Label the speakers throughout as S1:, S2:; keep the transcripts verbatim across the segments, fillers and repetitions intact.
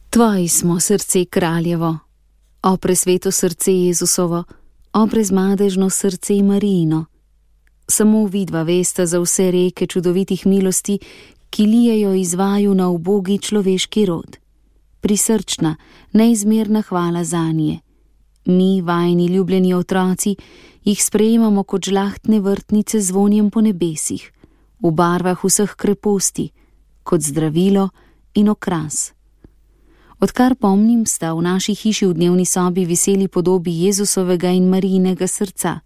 S1: Tvoji smo, srce kraljevo, o presveto srce Jezusovo, o brezmadežno srce Marijino. Samo vidva vesta za vse reke čudovitih milosti, ki lijejo iz vaju na ubogi človeški rod. Prisrčna, neizmerna hvala zanje. Mi, vajni ljubljeni otroci, jih sprejemamo kot žlahtne vrtnice z vonjem po nebesih, v barvah vseh kreposti, kot zdravilo in okras. Odkar pomnim, sta v naši hiši v dnevni sobi viseli podobi Jezusovega in Marijinega srca,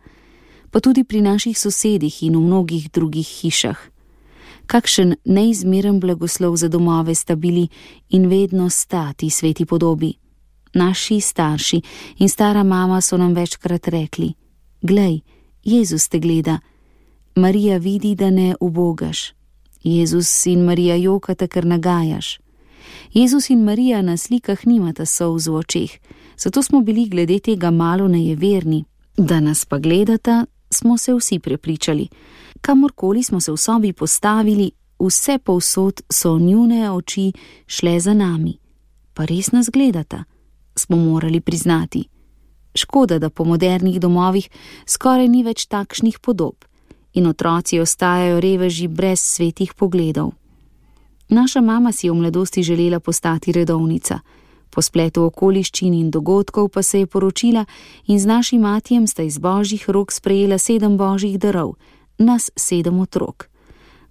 S1: pa tudi pri naših sosedih in v mnogih drugih hišah. Kakšen neizmeren blagoslov za domove sta bili in vedno sta ti sveti podobi. Naši starši in stara mama so nam večkrat rekli: glej, Jezus te gleda, Marija vidi, da ne ubogaš. Jezus in Marija jokata, ker nagajaš. Jezus in Marija na slikah nimata solz v očeh, zato smo bili glede tega malo nejeverni. Da nas pa gledata, smo se vsi prepričali. Kamorkoli smo se v sobi postavili, vse povsod so njune oči šle za nami. Pa res nas gledata, smo morali priznati. Škoda, da po modernih domovih skoraj ni več takšnih podob in otroci ostajajo reveži brez svetih pogledov. Naša mama si je v mladosti želela postati redovnica. Po spletu okoliščin in dogodkov pa se je poročila in z našim matijem sta iz božjih rok sprejela sedem božjih darov, nas sedem otrok.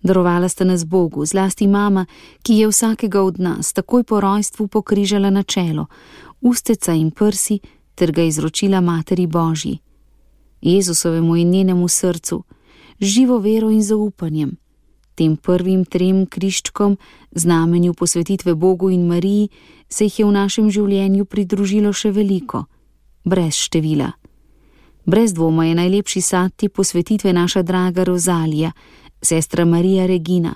S1: Darovala sta nas Bogu, zlasti mama, ki je vsakega od nas takoj po rojstvu pokrižala na čelo, usteca in prsi, ter ga izročila Materi Božji. Jezusovemu in njenemu srcu, živo vero in zaupanjem, tem prvim trem križčkom, znamenju posvetitve Bogu in Mariji, se jih je v našem življenju pridružilo še veliko, brez števila. Brez dvoma je najlepši sad te posvetitve naša draga Rozalija, sestra Marija Regina.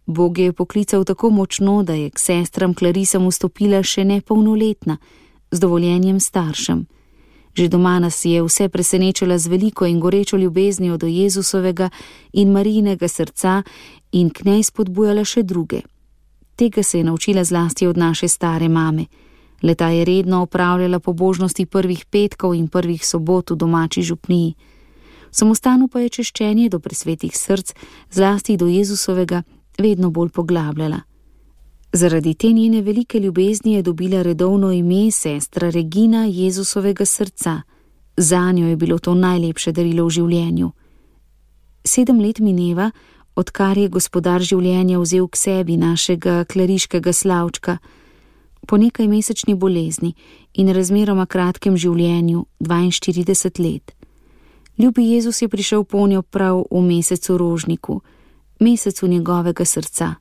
S1: Bog je poklical tako močno, da je k sestram Klarisam vstopila še nepolnoletna, z dovoljenjem staršem. Že doma nas je vse presenečila z veliko in gorečo ljubeznijo do Jezusovega in Marijinega srca in k njej spodbujala še druge. Tega se je naučila zlasti od naše stare mame. Leta je redno opravljala pobožnosti prvih petkov in prvih sobot v domači župniji. V samostanu pa je češčenje do presvetih src, zlasti do Jezusovega, vedno bolj poglabljala. Zaradi te njene velike ljubezni je dobila redovno ime sestra Regina Jezusovega srca. Zanjo je bilo to najlepše darilo v življenju. Sedem let mineva, odkar je gospodar življenja vzel k sebi našega klariškega Slavčka. Po nekaj mesečni bolezni in razmeroma kratkem življenju, dvainštirideset let. Ljubi Jezus je prišel ponjo prav v mesecu rožniku, mesecu njegovega srca.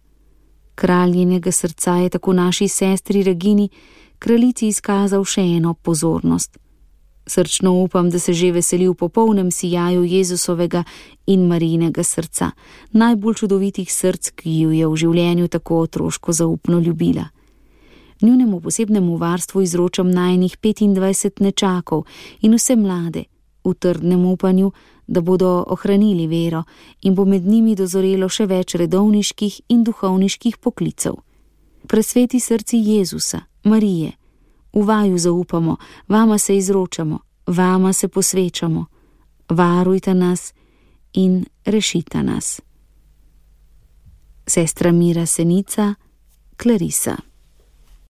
S1: Kralj njenega srca je tako naši sestri Regini, kraljici, izkazal še eno pozornost. Srčno upam, da se že veseli v popolnem sijaju Jezusovega in Marijinega srca, najbolj čudovitih src, ki ju je v življenju tako otroško zaupno ljubila. Njunemu posebnemu varstvu izročam najinih petindvajset nečakov in vse mlade, v trdnem upanju, da bodo ohranili vero in bo med njimi dozorelo še več redovniških in duhovniških poklicev. Presveti srci Jezusa, Marije, v vaju zaupamo, vama se izročamo, vama se posvečamo, varujta nas in rešita nas. Sestra Mira Senica, Clarisa.